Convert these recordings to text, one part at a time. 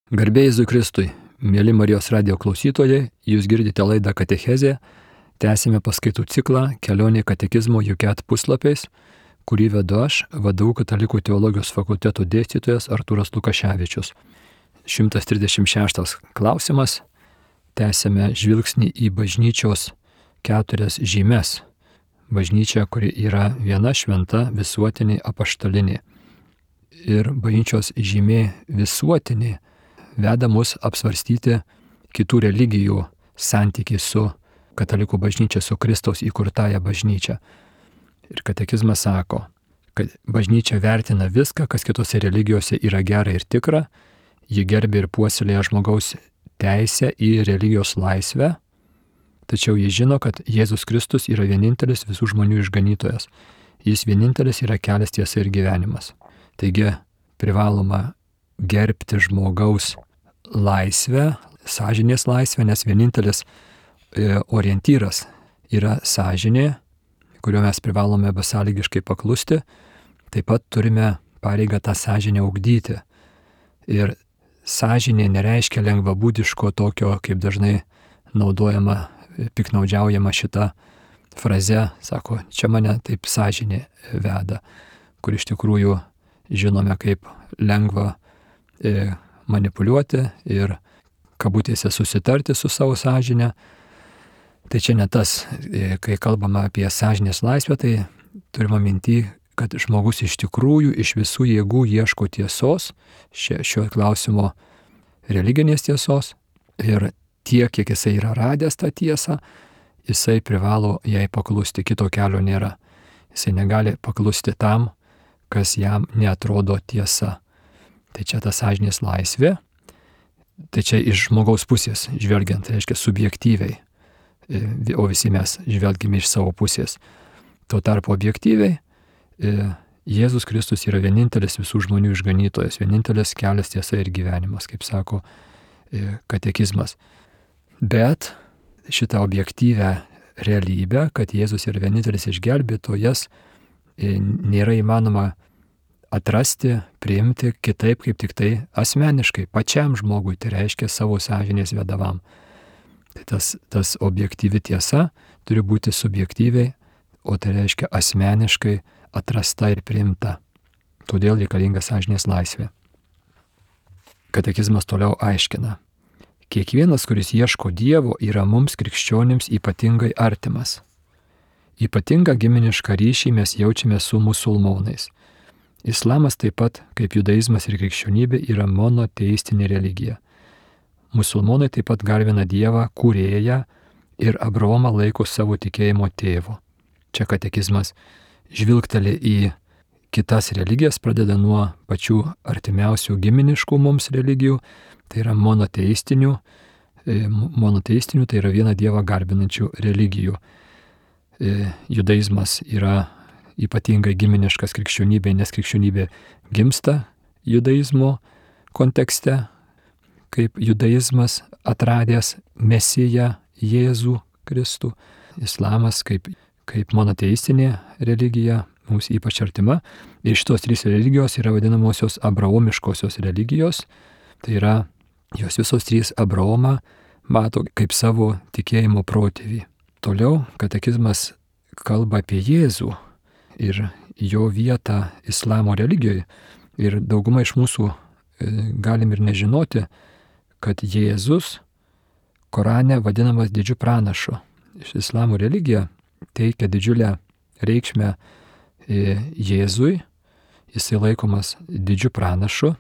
Garbė Jėzui Kristui, mėly Marijos radijo klausytojai, jūs girdite laidą Katechezė, tęsime paskaitų ciklą Kelionė katekizmo Juket puslapiais, kurį vedu aš, VDU Katalikų teologijos fakulteto dėstytojas Artūras Lukaševičius. 136 klausimas, tęsime žvilgsnį į bažnyčios 4 žymes. Bažnyčia, kuri yra viena, šventa, visuotinė, apaštalinė. Ir bažnyčios žymė visuotinė veda mus apsvarstyti kitų religijų santykį su katalikų bažnyčia, su Kristaus įkurtąja bažnyčia. Ir katekizmas sako, kad bažnyčia vertina viską, kas kitose religijose yra gera ir tikra, ji gerbė ir puoselėja žmogaus teisę į religijos laisvę, tačiau ji žino, kad Jėzus Kristus yra vienintelis visų žmonių išganytojas. Jis vienintelis yra kelias, tiesa ir gyvenimas. Taigi privaloma gerbti žmogaus laisvę, sąžinės laisvę, nes vienintelis orientyras yra sąžinė, kurio mes privalome besąlygiškai paklusti. Taip pat turime pareigą tą sąžinę ugdyti. Ir sąžinė nereiškia lengvabūdiško tokio, kaip dažnai naudojama, piknaudžiaujama šita fraze, sako, čia mane taip sąžinė veda, kur iš tikrųjų žinome, kaip lengva manipuliuoti ir kabutėse susitarti su savo sąžinė. Tai čia ne tas, kai kalbama apie sąžinės laisvę, tai turime minty, kad žmogus iš tikrųjų iš visų jėgų ieško tiesos, šio klausimo religinės tiesos, ir tiek, kiek jisai yra radęs tą tiesą, jisai privalo jai paklusti, kito kelio nėra. Jisai negali paklusti tam, kas jam neatrodo tiesa. Tai čia ta sąžinės laisvė, tai čia iš žmogaus pusės žvelgiant, tai reiškia subjektyviai, o visi mes žvelgime iš savo pusės. Tuo tarpu objektyviai Jėzus Kristus yra vienintelis visų žmonių išganytojas, vienintelis kelias, tiesa ir gyvenimas, kaip sako katekizmas. Bet šitą objektyvę realybę, kad Jėzus yra vienintelis išgelbėtojas, nėra įmanoma atrasti, priimti kitaip, kaip tik tai asmeniškai, pačiam žmogui, tai reiškia savo sąžinės vedavam. Tai tas objektyvi tiesa turi būti subjektyviai, o tai reiškia asmeniškai atrasta ir priimta. Todėl reikalinga sąžinės laisvė. Katekizmas toliau aiškina. Kiekvienas, kuris ieško Dievo, yra mums krikščionims ypatingai artimas. Ypatingą giminišką ryšį mes jaučiame su musulmonais. Islamas taip pat, kaip judaizmas ir krikščionybė, yra monoteistinė religija. Musulmonai taip pat garbina Dievą, kūrėją, ir Abraomą laiko savo tikėjimo tėvu. Čia katekizmas žvilgteli į kitas religijas, pradeda nuo pačių artimiausių giminiškų mums religijų, tai yra monoteistinių, tai yra vieną Dievą garbinančių religijų. Judaizmas yra ypatingai giminiškas krikščionybė, nes krikščionybė gimsta judaizmo kontekste, kaip judaizmas atradęs Mesiją Jėzų Kristų. Islamas kaip monoteistinė religija mums ypač artima. Ir šitos 3 religijos yra vadinamosios abraomiškosios religijos. Tai yra, jos visos 3 Abraomą mato kaip savo tikėjimo protėvį. Toliau katekizmas kalba apie Jėzų ir jo vietą islamo religijoje. Ir dauguma iš mūsų galim ir nežinoti, kad Jėzus Korane vadinamas didžiu pranašu. Islamo religija teikia didžiulę reikšmę Jėzui, jisai laikomas didžiu pranašu,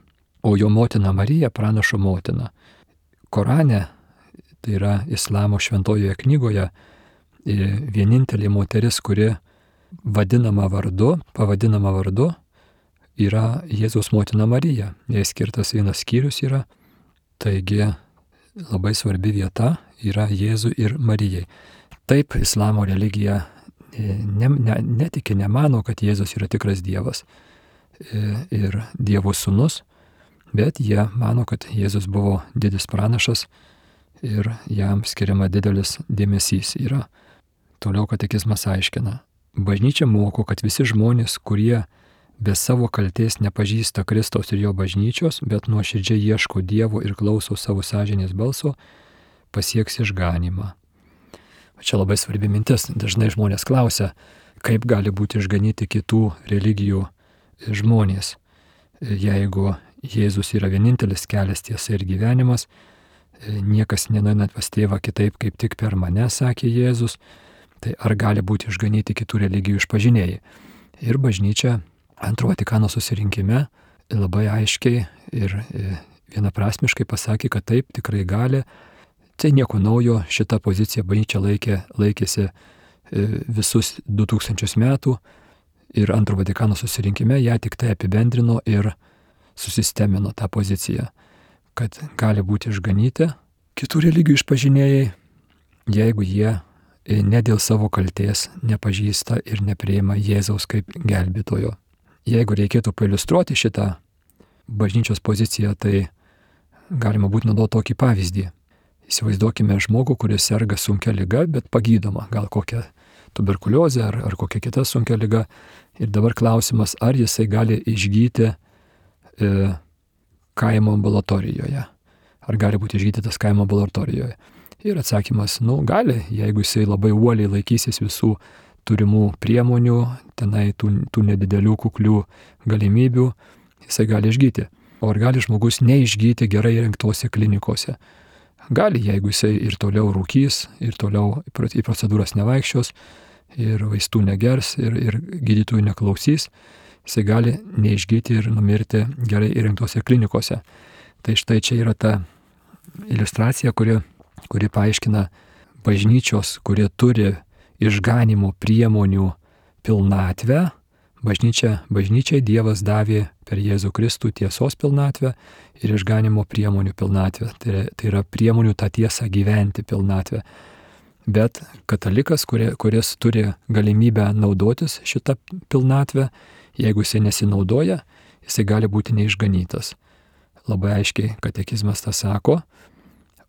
o jo motina Marija pranašo motina. Korane, tai yra islamo šventojoje knygoje, vienintelė moteris, kuri pavadinama vardu, yra Jėzaus motina Marija. Jai skirtas vienas skyrius yra, taigi labai svarbi vieta yra Jėzui ir Marijai. Taip, islamo religija netiki, nemano, kad Jėzus yra tikras Dievas ir Dievo sūnus, bet jie mano, kad Jėzus buvo didis pranašas ir jam skiriama didelis dėmesys yra. Toliau katekizmas aiškina. Bažnyčia moko, kad visi žmonės, kurie be savo kaltės nepažįsta Kristaus ir jo bažnyčios, bet nuoširdžiai ieško Dievo ir klauso savo sąžinės balso, pasieks išganymą. Čia labai svarbi mintis. Dažnai žmonės klausia, kaip gali būti išganyti kitų religijų žmonės. Jeigu Jėzus yra vienintelis kelias, tiesa ir gyvenimas, niekas nenueina pas tėvą kitaip kaip tik per mane, sakė Jėzus, tai ar gali būti išganyti kitų religijų išpažinėjai? Ir bažnyčia Antrojo Vatikano susirinkime labai aiškiai ir vienaprasmiškai pasakė, kad taip tikrai gali. Tai nieko naujo, šitą poziciją bažnyčia laikėsi visus 2000 metų ir Antrojo Vatikano susirinkime ją tik tai apibendrino ir susistemino tą poziciją, kad gali būti išganyti kitų religijų išpažinėjai, jeigu jie ne dėl savo kaltės nepažįsta ir nepriima Jėzaus kaip gelbėtojo. Jeigu reikėtų pailiustruoti šitą bažnyčios poziciją, tai galima būtų naudoti tokį pavyzdį. Įsivaizduokime žmogų, kuris serga sunkia liga, bet pagydoma, gal kokia tuberkuliozė ar kokia kita sunkia liga. Ir dabar klausimas, ar jisai gali išgyti kaimo ambulatorijoje. Ar gali būti išgydytas kaimo ambulatorijoje. Ir atsakymas, gali, jeigu jisai labai uoliai laikysis visų turimų priemonių, tenai tų nedidelių kuklių galimybių, jisai gali išgyti. O ar gali žmogus neišgyti gerai įrengtose klinikose? Gali, jeigu jisai ir toliau rūkys, ir toliau į procedūras nevaikščios, ir vaistų negers, ir gydytojų neklausys, jisai gali neišgyti ir numirti gerai įrengtose klinikose. Tai štai čia yra ta iliustracija, kuri paaiškina bažnyčios, kurie turi išganimo priemonių pilnatvę. Bažnyčiai Dievas davė per Jėzų Kristų tiesos pilnatvę ir išganimo priemonių pilnatvę. Tai yra priemonių tą tiesą gyventi pilnatvę. Bet katalikas, kuris turi galimybę naudotis šitą pilnatvę, jeigu jisai nesinaudoja, jisai gali būti neišganytas. Labai aiškiai katekizmas tą sako.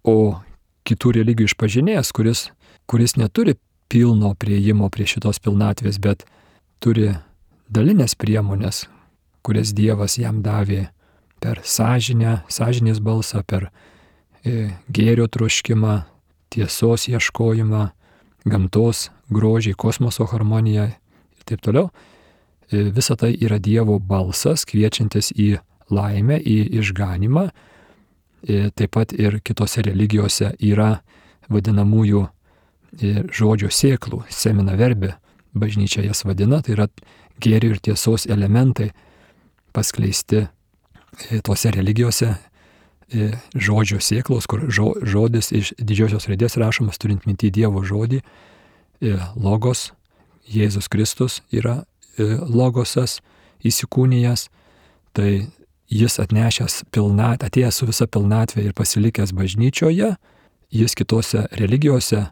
O kitų religijų išpažinėjas, kuris neturi pilno priėjimo prie šitos pilnatvės, bet turi dalinės priemonės, kurias Dievas jam davė per sąžinės balsą, per gėrio troškimą, tiesos ieškojimą, gamtos grožį, kosmoso harmoniją ir taip toliau. Visa tai yra Dievo balsas, kviečiantis į laimę, į išganimą. Taip pat ir kitose religijose yra vadinamųjų žodžio sėklų, semina verbė, bažnyčia jas vadina, tai yra gėrio ir tiesos elementai paskleisti tose religijose, žodžio sėklos, kur žodis iš didžiosios raidės rašomas, turint minty Dievo žodį, logos, Jėzus Kristus yra logosas įsikūnijęs, tai jis atnešęs atėjęs su visa pilnatvė ir pasilikęs bažnyčioje, jis kitose religijose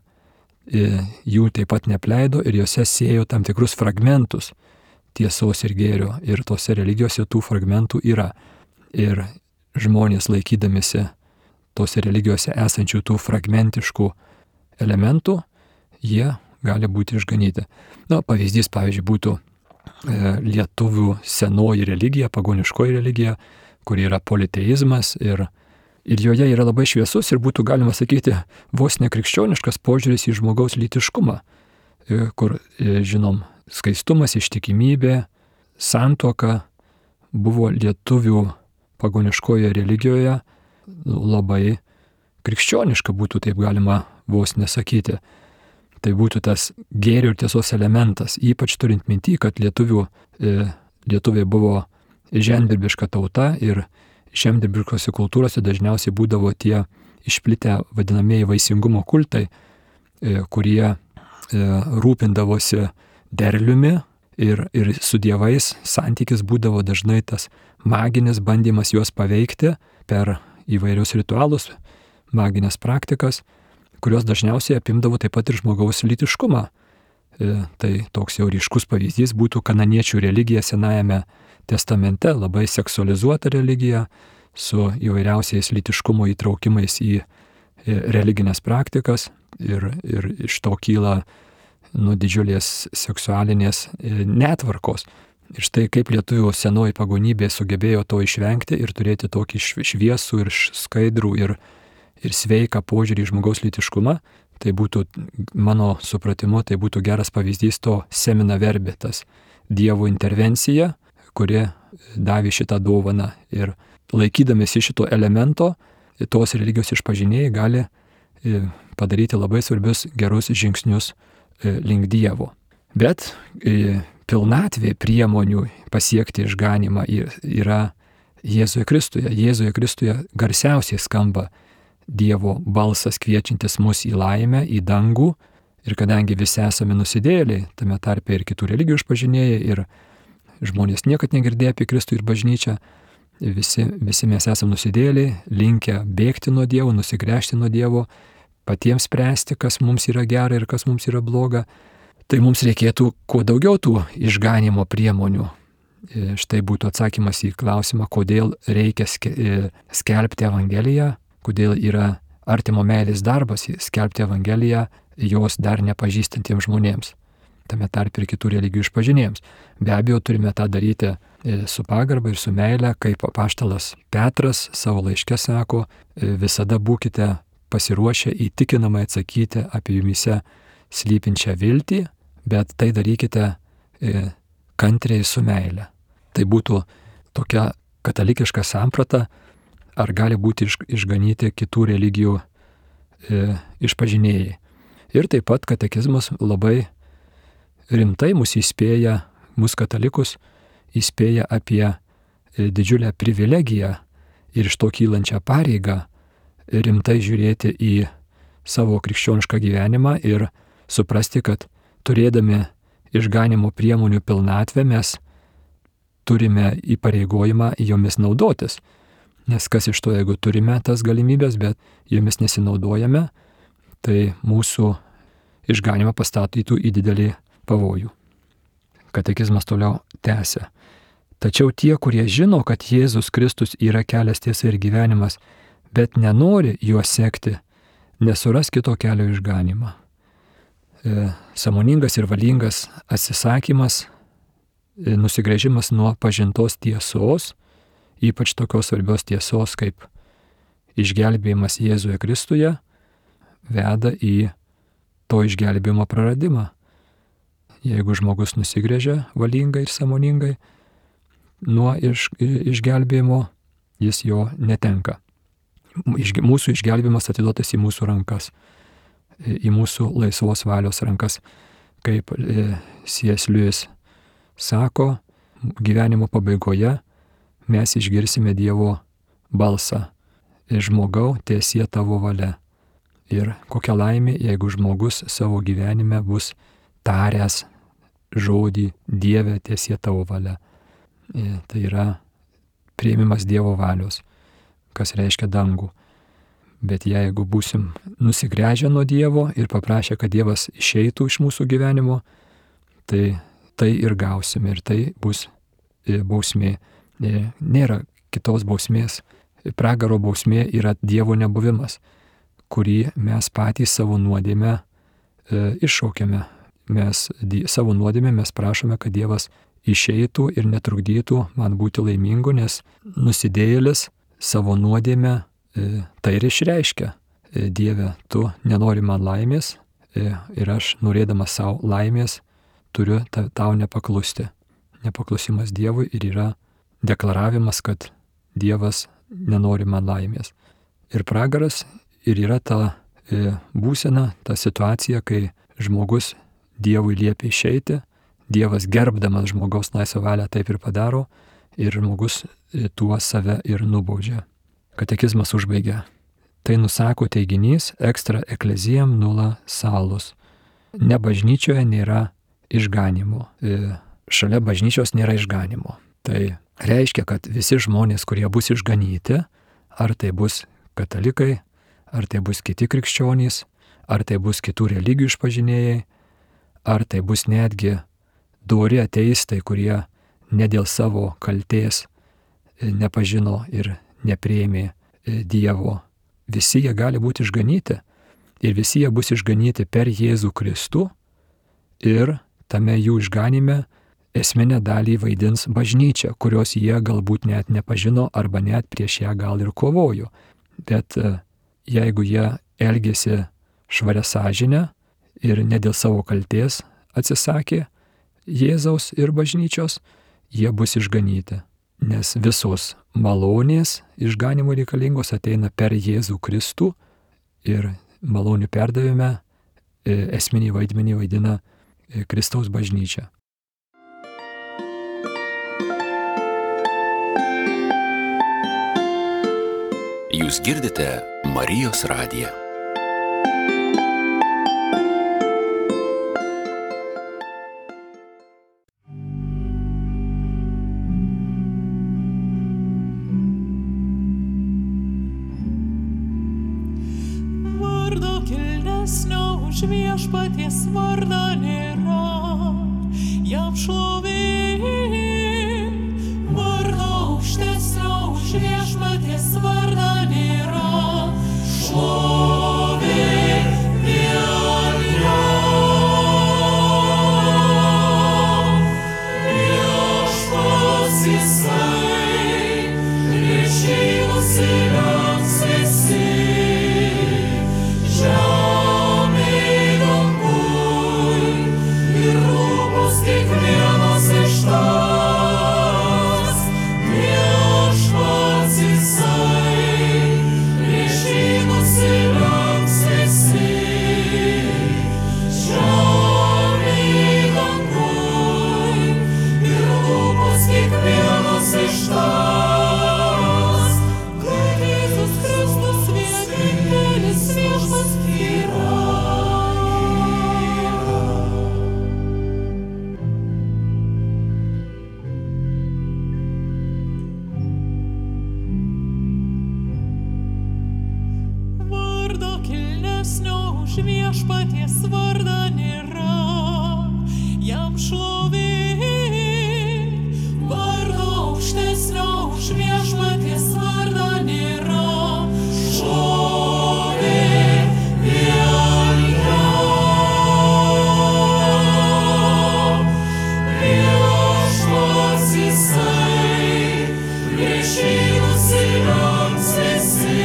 jų taip pat nepleido ir jose sėjo tam tikrus fragmentus tiesos ir gėrio, ir tose religijose tų fragmentų yra. Ir žmonės laikydamėsi tose religijose esančių tų fragmentiškų elementų, jie gali būti išganyti. Pavyzdys, pavyzdžiui, būtų lietuvių senoji religija, pagoniškoji religija, kuri yra politeizmas ir joje yra labai šviesus ir būtų galima sakyti vos nekrikščioniškas požiūris į žmogaus lytiškumą, kur, žinom, skaistumas, ištikimybė, santuoka buvo lietuvių pagoniškoje religijoje labai krikščioniška, būtų taip galima vos nesakyti. Tai būtų tas gėrio ir tiesos elementas, ypač turint minty, kad lietuviai buvo žemdirbiška tauta ir žemdirbiškose kultūrose dažniausiai būdavo tie išplitę vadinamieji vaisingumo kultai, kurie rūpindavosi derliumi ir su dievais santykis būdavo dažnai tas maginis bandymas juos paveikti per įvairius ritualus, maginės praktikas, kurios dažniausiai apimdavo taip pat ir žmogaus lytiškumą. Tai toks jau ryškus pavyzdys būtų kananiečių religija Senajame testamente, labai seksualizuota religija su įvairiausiais lytiškumo įtraukimais į religinės praktikas ir iš to kyla didžiulės seksualinės netvarkos. Ir štai kaip lietuvių senoji pagonybė sugebėjo to išvengti ir turėti tokį šviesų ir skaidrų ir sveiką požiūrį į žmogaus lytiškumą, tai būtų, mano supratimu, tai būtų geras pavyzdys to semina verbė, tas Dievo intervencija, kuri davė šitą dovaną. Ir laikydamėsi šito elemento, tos religijos išpažinėjai gali padaryti labai svarbius gerus žingsnius link Dievo. Bet pilnatvė priemonių pasiekti išganymą yra Jėzuje Kristuje. Jėzuje Kristuje garsiausiai skamba Dievo balsas kviečiantis mus į laimę, į dangų. Ir kadangi visi esame nusidėjėliai, tame tarpe ir kitų religijų išpažinėjai, ir žmonės niekad negirdėjo apie Kristų ir bažnyčią, visi mes esame nusidėjėliai, linkę bėgti nuo Dievo, nusigręžti nuo Dievo, patiems spręsti, kas mums yra gera ir kas mums yra bloga. Tai mums reikėtų kuo daugiau tų išganimo priemonių. Štai būtų atsakymas į klausimą, kodėl reikia skelbti Evangeliją, kodėl yra artimo meilės darbas skelbti Evangeliją jos dar nepažįstantiems žmonėms, tame tarp ir kitų religijų išpažinėjams. Be abejo, turime tą daryti su pagarba ir su meile, kaip apaštalas Petras savo laiške sako, visada būkite pasiruošę įtikinamai atsakyti apie jumise slypinčią viltį, bet tai darykite kantriai su meile. Tai būtų tokia katalikiška samprata, ar gali būti išganyti kitų religijų išpažinėjai. Ir taip pat katekizmas labai rimtai mus įspėja, mus katalikus įspėja apie didžiulę privilegiją ir iš to kylančią pareigą rimtai žiūrėti į savo krikščionišką gyvenimą ir suprasti, kad turėdami išganimo priemonių pilnatvę mes turime įpareigojimą jomis naudotis. Nes kas iš to, jeigu turime tas galimybės, bet jomis nesinaudojame, tai mūsų išganimą pastatytų į didelį pavojų. Katekizmas toliau tęsia. Tačiau tie, kurie žino, kad Jėzus Kristus yra kelias, tiesa ir gyvenimas, bet nenori juo sekti, nesuras kito kelio išganimą. Sąmoningas ir valingas atsisakymas, nusigręžimas nuo pažintos tiesos, ypač tokios svarbios tiesos kaip išgelbėjimas Jėzuje Kristuje, veda į to išgelbėjimo praradimą. Jeigu žmogus nusigręžia valingai ir sąmoningai nuo išgelbėjimo, jis jo netenka. Mūsų išgelbėjimas atiduotas į mūsų rankas, į mūsų laisvos valios rankas. Kaip C.S. Lewis sako, gyvenimo pabaigoje mes išgirsime Dievo balsą. Žmogau, tiesie tavo valia. Ir kokia laimė, jeigu žmogus savo gyvenime bus taręs žodį Dieve, tiesie tavo valia. Tai yra priėmimas Dievo valios, kas reiškia dangų. Bet jeigu būsim nusigręžę nuo Dievo ir paprašę, kad Dievas išeitų iš mūsų gyvenimo, tai ir gausime ir tai bus bausmė. Nėra kitos bausmės. Pragaro bausmė yra Dievo nebuvimas, kurį mes patys savo nuodėmę iššaukiame. Savo nuodėmę mes prašome, kad Dievas išeitų ir netrukdytų man būti laimingu, nes nusidėjėlis savo nuodėmę tai ir išreiškia. Dieve, tu nenori man laimės ir aš, norėdamas savo laimės, turiu tau nepaklusti. Nepaklusimas Dievui ir yra deklaravimas, kad Dievas nenori man laimės. Ir pragaras ir yra ta būsena, ta situacija, kai žmogus Dievui liepia išeiti, Dievas gerbdamas žmogaus laisvą valią taip ir padaro ir žmogus tuo save ir nubaudžia. Katekizmas užbaigia. Tai nusako teiginys extra ecclesiam nulla salus. Ne bažnyčioje nėra išganimo. Šalia bažnyčios nėra išganimo. Tai reiškia, kad visi žmonės, kurie bus išganyti, ar tai bus katalikai, ar tai bus kiti krikščionys, ar tai bus kitų religijų išpažinėjai, ar tai bus netgi dori ateistai, kurie ne dėl savo kaltės nepažino ir nepriėmė Dievo. Visi jie gali būti išganyti ir visi jie bus išganyti per Jėzų Kristų ir tame jų išganime esminę dalį vaidins bažnyčia, kurios jie galbūt net nepažino arba net prieš ją gal ir kovojo. Bet jeigu jie elgėsi švaria sąžinę ir ne dėl savo kaltės atsisakė Jėzaus ir bažnyčios, jie bus išganyti. Nes visos malonės išganimo reikalingos ateina per Jėzų Kristų ir malonių perdavime esminį vaidmenį vaidina Kristaus bažnyčia. Jūs girdite Marijos radiją. Vardo kilnesnio už viešpaties vardą nėra, jam šlovė. Vardo aukštesnio už viešpaties vardą nėra, šlovė vien jam. Viešpats jisai, prieš jį nusilenks visi, žemėj danguj ir lūpos kiekvienas ištars. Viešpats jisai, prieš jį nusilenks visi, žemėj danguj ir lūpos kiekvienas ištars, kad Jėzus Kristus vienintelis viešpats yra. Vardo kilnesnio už viešpaties vardą nėra, jam šlovė. Vardo aukštesnio už viešpaties vardą nėra, šlovė vien jam. Viešpats jisai, prieš jį nusilenks visi,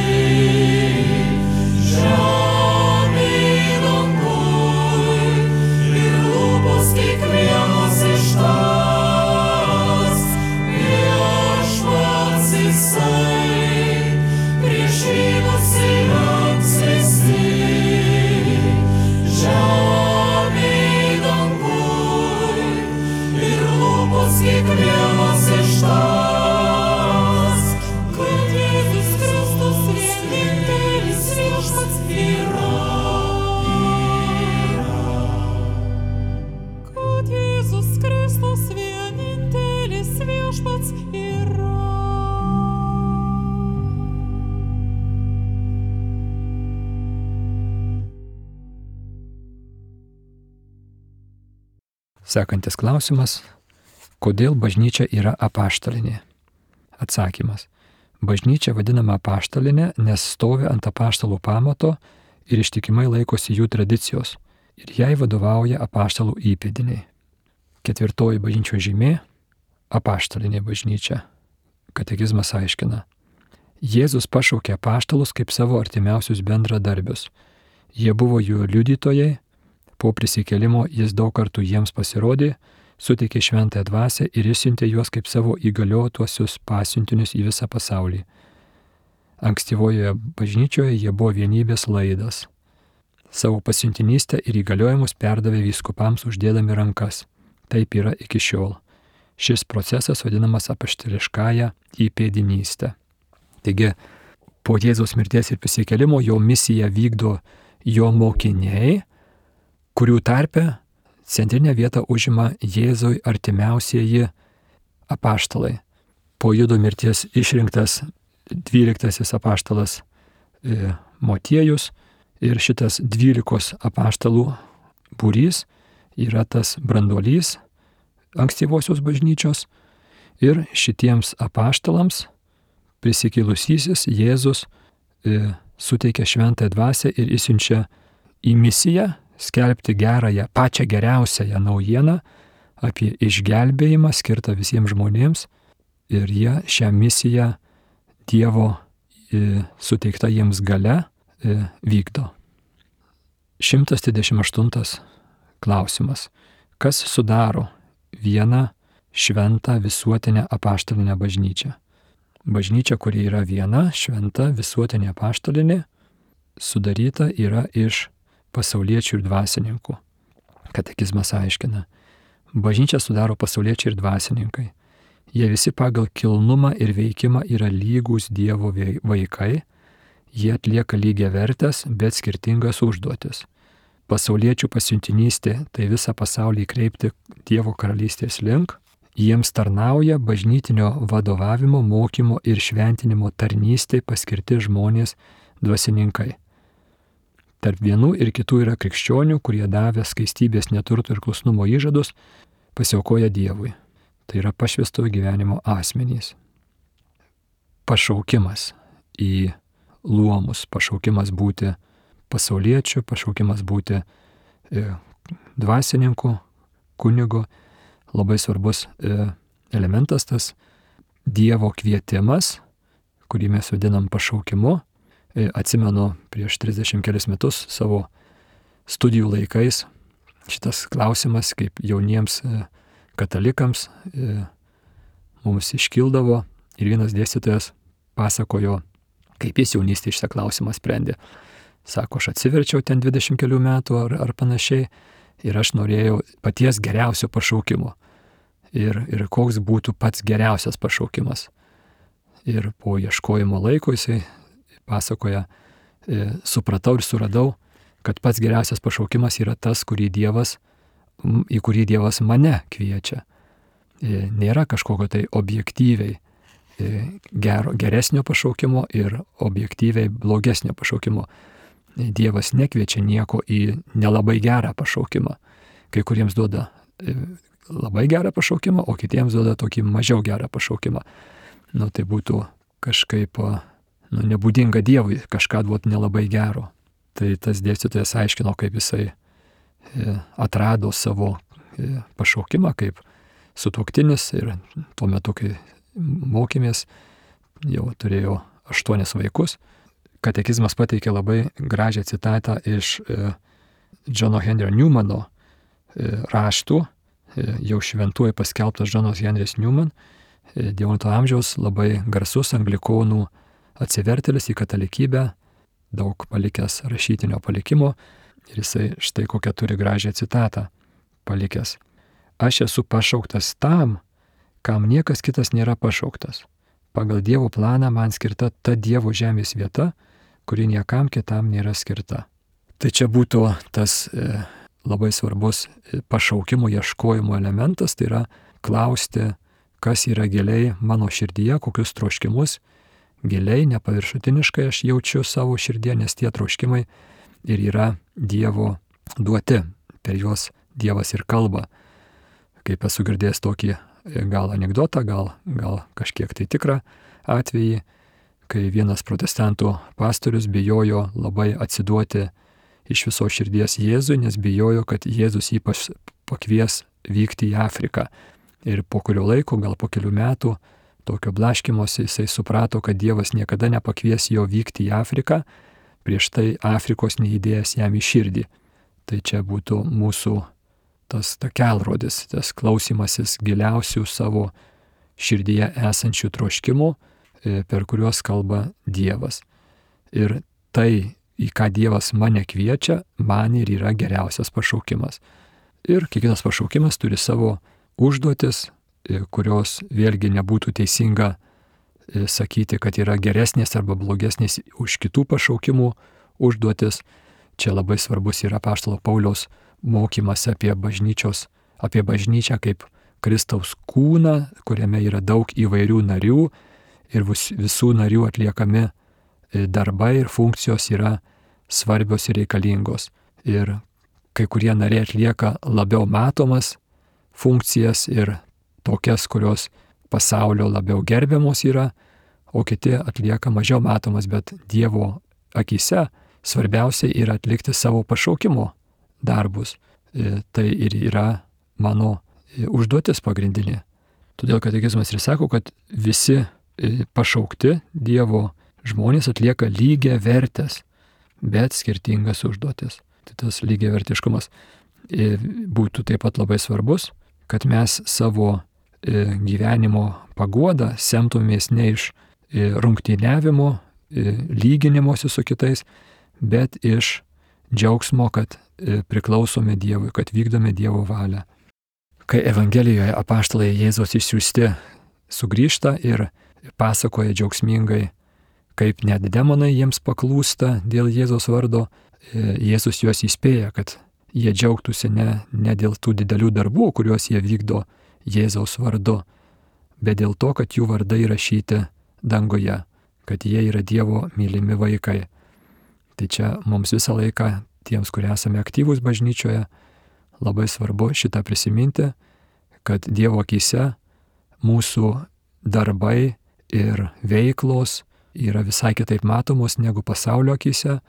žemėj danguj ir lūpos kiekvienas ištars. Viešpats jisai, prieš jį nusilenks visi, žemėj danguj ir lūpos kiekvienas ištars, kad Jėzus Kristus vienintelis viešpats yra. Kad Jėzus Kristus vienintelis viešpats yra. Sekantis klausimas. Kodėl bažnyčia yra apaštalinė? Atsakymas. Bažnyčia vadinama apaštalinė, nes stovi ant apaštalų pamato ir ištikimai laikosi jų tradicijos. Ir jai vadovauja apaštalų įpėdiniai. Ketvirtoji bažnyčios žymė – apaštalinė bažnyčia. Katekizmas aiškina. Jėzus pašaukė apaštalus kaip savo artimiausius bendradarbius. Jie buvo jų liudytojai, po prisikėlimo jis daug kartų jiems pasirodė, suteikė šventąją dvasią ir išsiuntė juos kaip savo įgaliotuosius pasiuntinius į visą pasaulį. Ankstyvojoje bažnyčioje jie buvo vienybės laidas. Savo pasiuntinystę ir įgaliojimus perdavė vyskupams uždėdami rankas. Taip yra iki šiol. Šis procesas vadinamas apaštališkąja įpėdinystė. Taigi, po Jėzaus mirties ir prisikėlimo jo misiją vykdo jo mokiniai, kurių tarpe centrinę vietą užima Jėzui artimiausieji apaštalai. Po Judo mirties išrinktas 12 apaštalas Motiejus ir šitas 12 apaštalų būrys yra tas branduolys ankstyvosios bažnyčios ir šitiems apaštalams prisikėlusysis Jėzus suteikia šventąją dvasią ir išsiunčia į misiją skelbti gerąją, pačią geriausiąją naujieną apie išgelbėjimą skirtą visiems žmonėms ir jie šią misiją Dievo suteikta jiems galia vykdo. 128 klausimas. Kas sudaro vieną šventą visuotinę apaštalinę bažnyčią? Bažnyčia, kuri yra viena, šventa visuotinė apaštalinė, sudaryta yra iš pasauliečių ir dvasininkų. Katekizmas aiškina. Bažnyčia sudaro pasauliečiai ir dvasininkai. Jie visi pagal kilnumą ir veikimą yra lygūs Dievo vaikai, jie atlieka lygiavertes, bet skirtingas užduotis. Pasauliečių pasiuntinystė tai visą pasaulį kreipti Dievo karalystės link, jiems tarnauja bažnytinio vadovavimo, mokymo ir šventinimo tarnystė paskirti žmonės dvasininkai. Tarp vienų ir kitų yra krikščionių, kurie davė skaistybės, neturto ir klusnumo įžadus, pasiaukoja Dievui. Tai yra pašvęstojo gyvenimo asmenys. Pašaukimas į luomus, pašaukimas būti pasauliečiu, pašaukimas būti dvasininku, kunigu. Labai svarbus elementas tas Dievo kvietimas, kurį mes vadinam pašaukimu. Atsimenu prieš 30 kelis metus savo studijų laikais šitas klausimas, kaip jauniems katalikams mums iškildavo ir vienas dėstytojas pasakojo, kaip jis jaunystėje šitą klausimą sprendė. Sako, aš atsiverčiau ten 20 kelių metų ar panašiai ir aš norėjau paties geriausio pašaukimo. Ir koks būtų pats geriausias pašaukimas. Ir po ieškojimo laiko jisai pasakoja, supratau ir suradau, kad pats geriausias pašaukimas yra tas, į kurį Dievas mane kviečia. Nėra kažkokio tai objektyviai geresnio pašaukimo ir objektyviai blogesnio pašaukimo. Dievas nekviečia nieko į nelabai gerą pašaukimą. Kai kuriems duoda labai gerą pašaukimą, o kitiems duoda tokį mažiau gerą pašaukimą. Tai būtų kažkaip nebūdinga Dievui kažką duoti nelabai gero. Tai tas dėstytojas aiškino, kaip jisai atrado savo pašaukimą kaip sutuoktinis ir tuo metu, kai mokėmės, jau turėjo 8 vaikus. Katekizmas pateikė labai gražią citatą iš Johno Henry Newmano raštų, jau šventuoju paskelbtas Johnas Henrys Newman, XIX amžiaus labai garsus anglikonų atsivertėlis į katalikybę, daug palikęs rašytinio palikimo, ir jisai štai kokią turi gražią citatą palikęs. Aš esu pašauktas tam, kam niekas kitas nėra pašauktas. Pagal Dievo planą man skirta ta Dievo žemės vieta, kuri niekam kitam nėra skirta. Tai čia būtų tas labai svarbus pašaukimo ieškojimo elementas, tai yra klausti, kas yra giliai mano širdyje, kokius troškimus giliai, nepaviršutiniškai aš jaučiu savo širdyje, nes tie troškimai ir yra Dievo duoti, per juos Dievas ir kalba. Kaip esu girdėjęs tokį gal anekdotą, gal kažkiek tai tikrą atvejį, kai vienas protestantų pastorius bijojo labai atsiduoti iš viso širdies Jėzui, nes bijojo, kad Jėzus jį pakvies vykti į Afriką. Ir po kurio laiko, gal po kelių metų, tokio blaškymosi jisai suprato, kad Dievas niekada nepakvies jo vykti į Afriką, prieš tai Afrikos neįdėjęs jam į širdį. Tai čia būtų mūsų tas kelrodis, tas klausimasis giliausių savo širdyje esančių troškimų, per kuriuos kalba Dievas. Ir tai, į ką Dievas mane kviečia, man ir yra geriausias pašaukimas. Ir kiekvienas pašaukimas turi savo užduotis, kurios vėlgi nebūtų teisinga sakyti, kad yra geresnės arba blogesnės už kitų pašaukimų užduotis. Čia labai svarbus yra apaštalo Pauliaus mokymas apie bažnyčią kaip Kristaus kūną, kuriame yra daug įvairių narių ir visų narių atliekami darbai ir funkcijos yra svarbios ir reikalingos. Ir kai kurie nariai atlieka labiau matomas funkcijas ir tokias, kurios pasaulio labiau gerbiamos yra, o kiti atlieka mažiau matomas, bet Dievo akyse svarbiausia yra atlikti savo pašaukimo darbus. Tai ir yra mano užduotis pagrindinė. Todėl katekizmas ir sako, kad visi pašaukti Dievo žmonės atlieka lygiai vertės, bet skirtingas užduotis. Tai tas lygiai vertiškumas būtų taip pat labai svarbus, kad mes savo gyvenimo paguodą semtumės ne iš rungtyniavimo, lyginimuose su kitais, bet iš džiaugsmo, kad priklausome Dievui, kad vykdome Dievo valią. Kai Evangelijoje apaštalai Jėzaus išsiųsti sugrįžta ir pasakoja džiaugsmingai, kaip net demonai jiems paklūsta dėl Jėzaus vardo, Jėzus juos įspėja, kad jie džiaugtųsi ne dėl tų didelių darbų, kuriuos jie vykdo Jėzaus vardu, bet dėl to, kad jų vardai įrašyti danguje, kad jie yra Dievo mylimi vaikai. Tai čia mums visą laiką, tiems, kurie esame aktyvūs bažnyčioje, labai svarbu šitą prisiminti, kad Dievo akyse mūsų darbai ir veiklos yra visai kitaip matomos negu pasaulio akyse,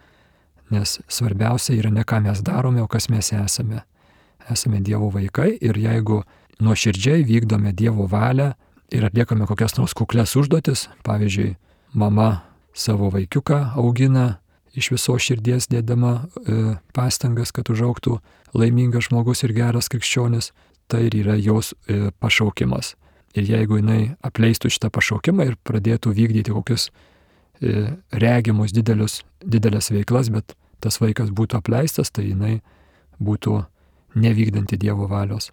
nes svarbiausia yra ne ką mes darome, o kas mes esame. Esame Dievo vaikai ir jeigu nuoširdžiai vykdome Dievo valią ir atliekame kokias nors kuklias užduotis, pavyzdžiui, mama savo vaikiuką augina, iš viso širdies dėdama pastangas, kad užaugtų laimingas žmogus ir geras krikščionis, tai ir yra jos pašaukimas. Ir jeigu jinai apleistų šitą pašaukimą ir pradėtų vykdyti kokius regimus didelės veiklas, bet tas vaikas būtų apleistas, tai jinai būtų nevykdanti Dievo valios.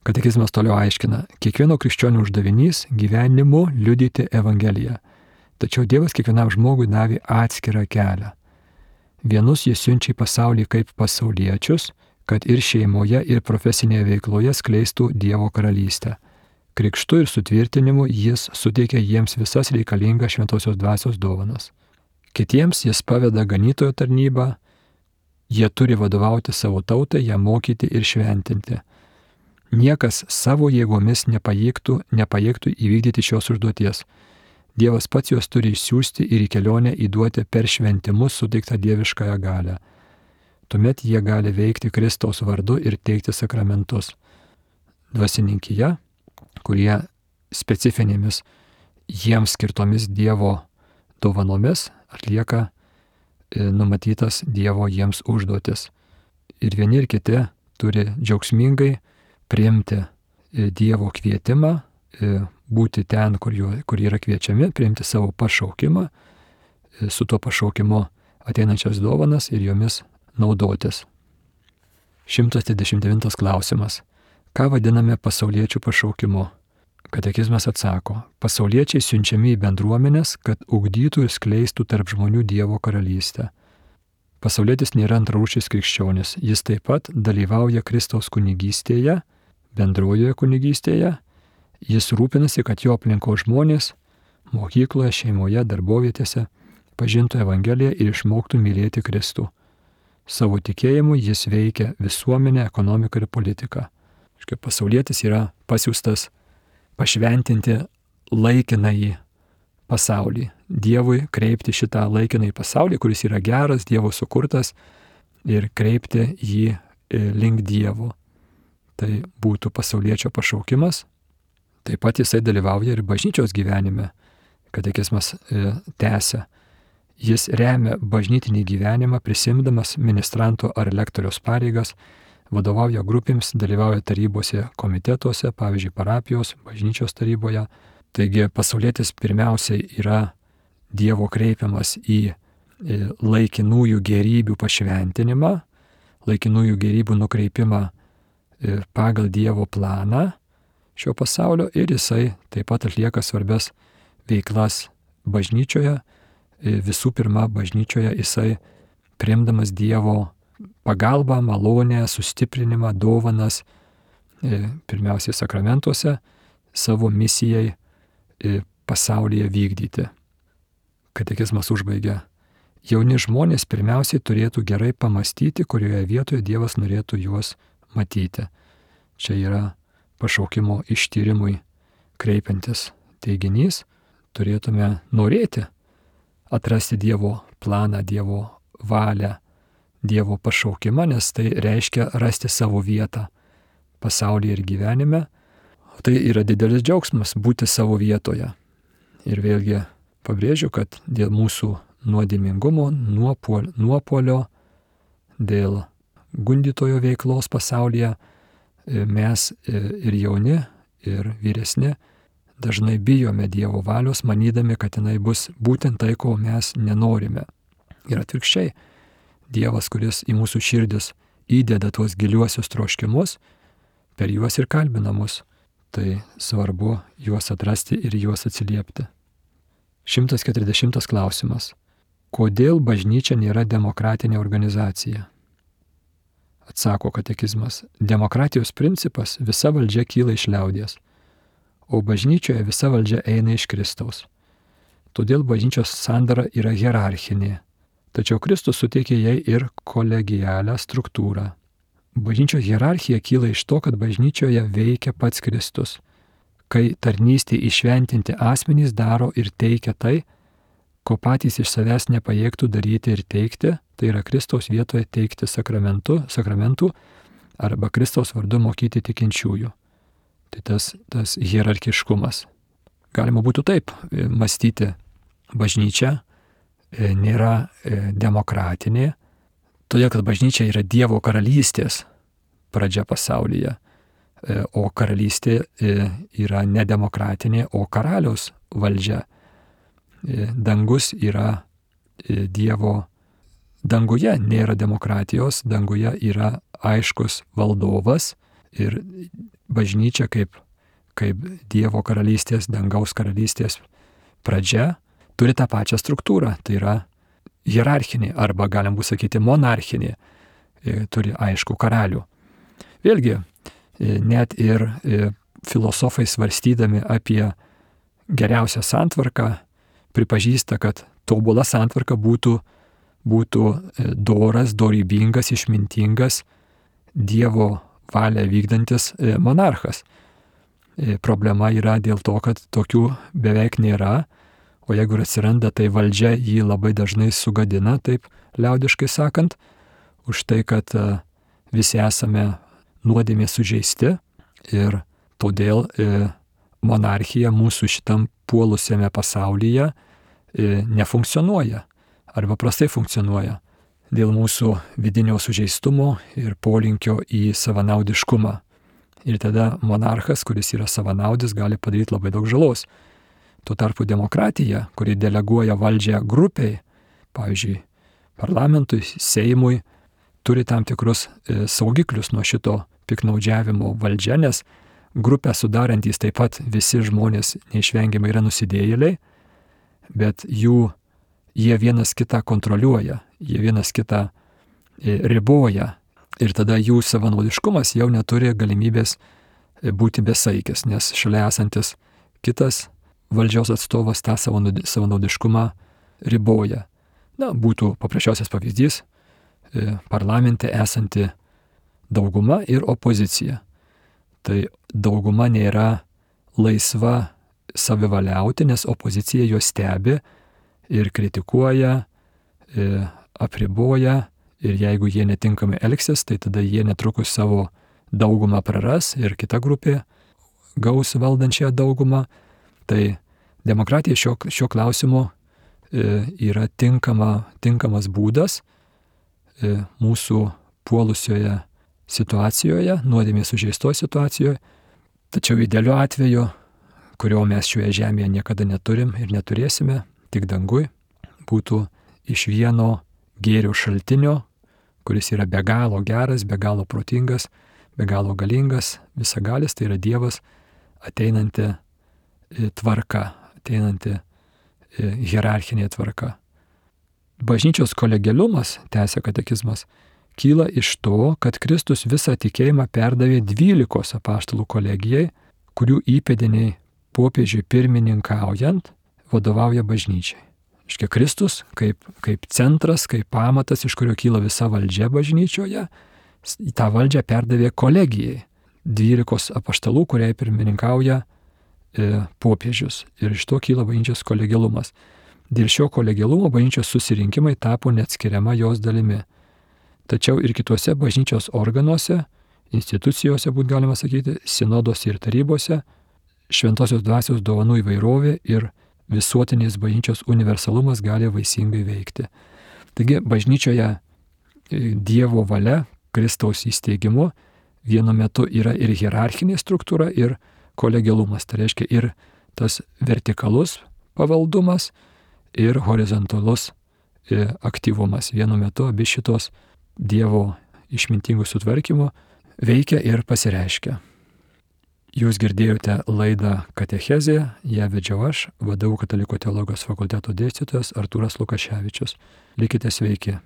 Katekizmas toliau aiškina, kiekvieno krikščionio uždavinys gyvenimu liudyti Evangeliją. Tačiau Dievas kiekvienam žmogui davė atskirą kelią. Vienus jis siunčia į pasaulį kaip pasauliečius, kad ir šeimoje, ir profesinėje veikloje skleistų Dievo karalystę. Krikštu ir sutvirtinimu jis suteikia jiems visas reikalingas šventosios dvasios dovanas. Kitiems jis paveda ganytojo tarnybą, jie turi vadovauti savo tautai, ją mokyti ir šventinti. Niekas savo jėgomis nepajėgtų įvykdyti šios užduoties. Dievas pats juos turi išsiųsti ir į kelionę įduoti per šventimus suteiktą dieviškąją galią. Tuomet jie gali veikti Kristaus vardu ir teikti sakramentus. Dvasininkyje, kurie specifinėmis jiems skirtomis Dievo dovanomis atlieka numatytas Dievo jiems užduotis. Ir vieni ir kiti turi džiaugsmingai priimti Dievo kvietimą, būti ten, kur yra kviečiami, priimti savo pašaukimą, su tuo pašaukimu ateinančias dovanas ir jomis naudotis. 129 klausimas. Ką vadiname pasauliečių pašaukimu? Katekizmas atsako, pasauliečiai siunčiami į bendruomenės, kad ugdytų ir skleistų tarp žmonių Dievo karalystę. Pasaulietis nėra antrarūšis krikščionis, jis taip pat dalyvauja Kristaus kunigystėje, bendrojoje kunigystėje, jis rūpinasi, kad jo aplinkos žmonės mokykloje, šeimoje, darbovietėse pažintų Evangeliją ir išmoktų mylėti Kristų. Savo tikėjimu jis veikia visuomenę, ekonomiką ir politiką. Pasaulietis yra pasiųstas pašventinti laikinąjį pasaulį. Dievui kreipti šitą laikinąjį pasaulį, kuris yra geras, Dievo sukurtas, ir kreipti jį link Dievo. Tai būtų pasauliečio pašaukimas. Taip pat jisai dalyvauja ir bažnyčios gyvenime. Katekizmas tęsia. Jis remia bažnytinį gyvenimą, prisimdamas ministranto ar lektoriaus pareigas, vadovauja grupėms, dalyvauja tarybose, komitetuose, pavyzdžiui, parapijos, bažnyčios taryboje. Taigi pasaulietis pirmiausiai yra Dievo kreipiamas į laikinųjų gerybių pašventinimą, laikinųjų gerybių nukreipimą pagal Dievo planą šio pasaulio ir jisai taip pat atlieka svarbias veiklas bažnyčioje. Visų pirma, bažnyčioje jisai priimdamas Dievo pagalbą, malonę, sustiprinimą, dovanas, pirmiausiai sakramentuose, savo misijai pasaulyje vykdyti. Katekizmas užbaigia. Jauni žmonės pirmiausiai turėtų gerai pamastyti, kurioje vietoje Dievas norėtų juos matyti. Čia yra pašaukimo ištyrimui kreipiantis teiginys. Turėtume norėti atrasti Dievo planą, Dievo valią, Dievo pašaukimą, nes tai reiškia rasti savo vietą pasaulyje ir gyvenime. Tai yra didelis džiaugsmas būti savo vietoje. Ir vėlgi pabrėžiu, kad dėl mūsų nuodėmingumo, nuopuolio, dėl gundytojo veiklos pasaulyje mes ir jauni, ir vyresni dažnai bijome Dievo valios, manydami, kad jinai bus būtent tai, ko mes nenorime. Ir atvirkščiai, Dievas, kuris į mūsų širdis įdeda tuos giliuosius troškimus, per juos ir kalbina mus. Tai svarbu juos atrasti ir juos atsiliepti. 140 klausimas. Kodėl bažnyčia nėra demokratinė organizacija? Atsako katekizmas. Demokratijos principas visa valdžia kyla iš liaudies, o bažnyčioje visa valdžia eina iš Kristaus. Todėl bažnyčios sandara yra hierarchinė, tačiau Kristus suteikė jai ir kolegialią struktūrą. Bažnyčios hierarchija kyla iš to, kad bažnyčioje veikia pats Kristus, kai tarnystė įšventinti asmenys daro ir teikia tai, ko patys iš savęs nepajėgtų daryti ir teikti, tai yra Kristaus vietoje teikti sakramentų arba Kristaus vardu mokyti tikinčiųjų. Tai tas hierarchiškumas. Galima būtų taip mąstyti, bažnyčia nėra demokratinė, todėl kad bažnyčia yra Dievo karalystės pradžia pasaulyje, o karalystė yra ne demokratinė, o karaliaus valdžia. Dangus yra Dievo, danguje nėra demokratijos, danguje yra aiškus valdovas ir bažnyčia kaip Dievo karalystės, dangaus karalystės pradžia turi tą pačią struktūrą, tai yra hierarchinė arba galim būtų sakyti monarchinė, turi aišku karalių. Vėlgi, net ir filosofai svarstydami apie geriausią santvarką pripažįsta, kad tobula santvarka būtų doras, dorybingas, išmintingas, Dievo valią vykdantis monarchas. Problema yra dėl to, kad tokių beveik nėra, o jeigu ir atsiranda, tai valdžia jį labai dažnai sugadina, taip liaudiškai sakant, už tai, kad visi esame nuodėmės sužeisti ir todėl monarchija mūsų šitam puolusiame pasaulyje nefunkcionuoja arba prastai funkcionuoja dėl mūsų vidinio sužeistumo ir polinkio į savanaudiškumą. Ir tada monarchas, kuris yra savanaudis, gali padaryti labai daug žalos. Tuo tarpu demokratija, kuri deleguoja valdžią grupiai, pavyzdžiui, parlamentui, Seimui, turi tam tikrus saugiklius nuo šito piknaudžiavimo valdžia, nes grupę sudarantys taip pat visi žmonės neišvengiamai yra nusidėjėliai, bet jie vienas kitą kontroliuoja, jie vienas kitą riboja ir tada jų savanaudiškumas jau neturi galimybės būti besaikis, nes šalia esantis kitas valdžios atstovas tą savanaudiškumą riboja. Būtų paprasčiausias pavyzdys parlamente esanti dauguma ir opozicija. Tai dauguma nėra laisva savivaliauti, nes opozicija juos stebi ir kritikuoja, apriboja ir jeigu jie netinkamai elgsis, tai tada jie netrukus savo daugumą praras ir kita grupė gaus valdančią daugumą. Tai demokratija šio klausimu yra tinkamas būdas mūsų puolusioje situacijoje, nuodėmės sužeistoje situacijoje, tačiau idealiu atveju, kurio mes šioje žemėje niekada neturim ir neturėsime, tik dangui, būtų iš vieno gėrio šaltinio, kuris yra be galo geras, be galo protingas, be galo galingas, visagalis, tai yra Dievas, ateinanti tvarka, ateinanti hierarchinė tvarka. Bažnyčios kolegialumas, tęsia katekizmas, kyla iš to, kad Kristus visą tikėjimą perdavė 12 apaštalų kolegijai, kurių įpėdiniai popiežiui pirmininkaujant vadovauja bažnyčiai. Iškia Kristus kaip centras, kaip pamatas, iš kurio kyla visa valdžia bažnyčioje, tą valdžią perdavė kolegijai, 12 apaštalų, kuriai pirmininkauja popiežius. Ir iš to kyla bažnyčios kolegialumas. Dėl šio kolegialumo bažnyčios susirinkimai tapo neatskiriama jos dalimi. Tačiau ir kituose bažnyčios organuose institucijose, būtų galima sakyti, sinodose ir tarybose, šventosios dvasios dovanų įvairovė ir visuotinės bažnyčios universalumas gali vaisingai veikti. Taigi bažnyčioje Dievo valia, Kristaus įsteigimu vienu metu yra ir hierarchinė struktūra, ir kolegialumas. Tai reiškia ir tas vertikalus pavaldumas, ir horizontalus aktyvumas. Vienu metu abi šitos Dievo išmintingų sutvarkymų veikia ir pasireiškia. Jūs girdėjote laidą Katechezė, ją vedžiau aš, VDU Katalikų teologijos fakulteto dėstytojas Artūras Lukaševičius. Likite sveiki.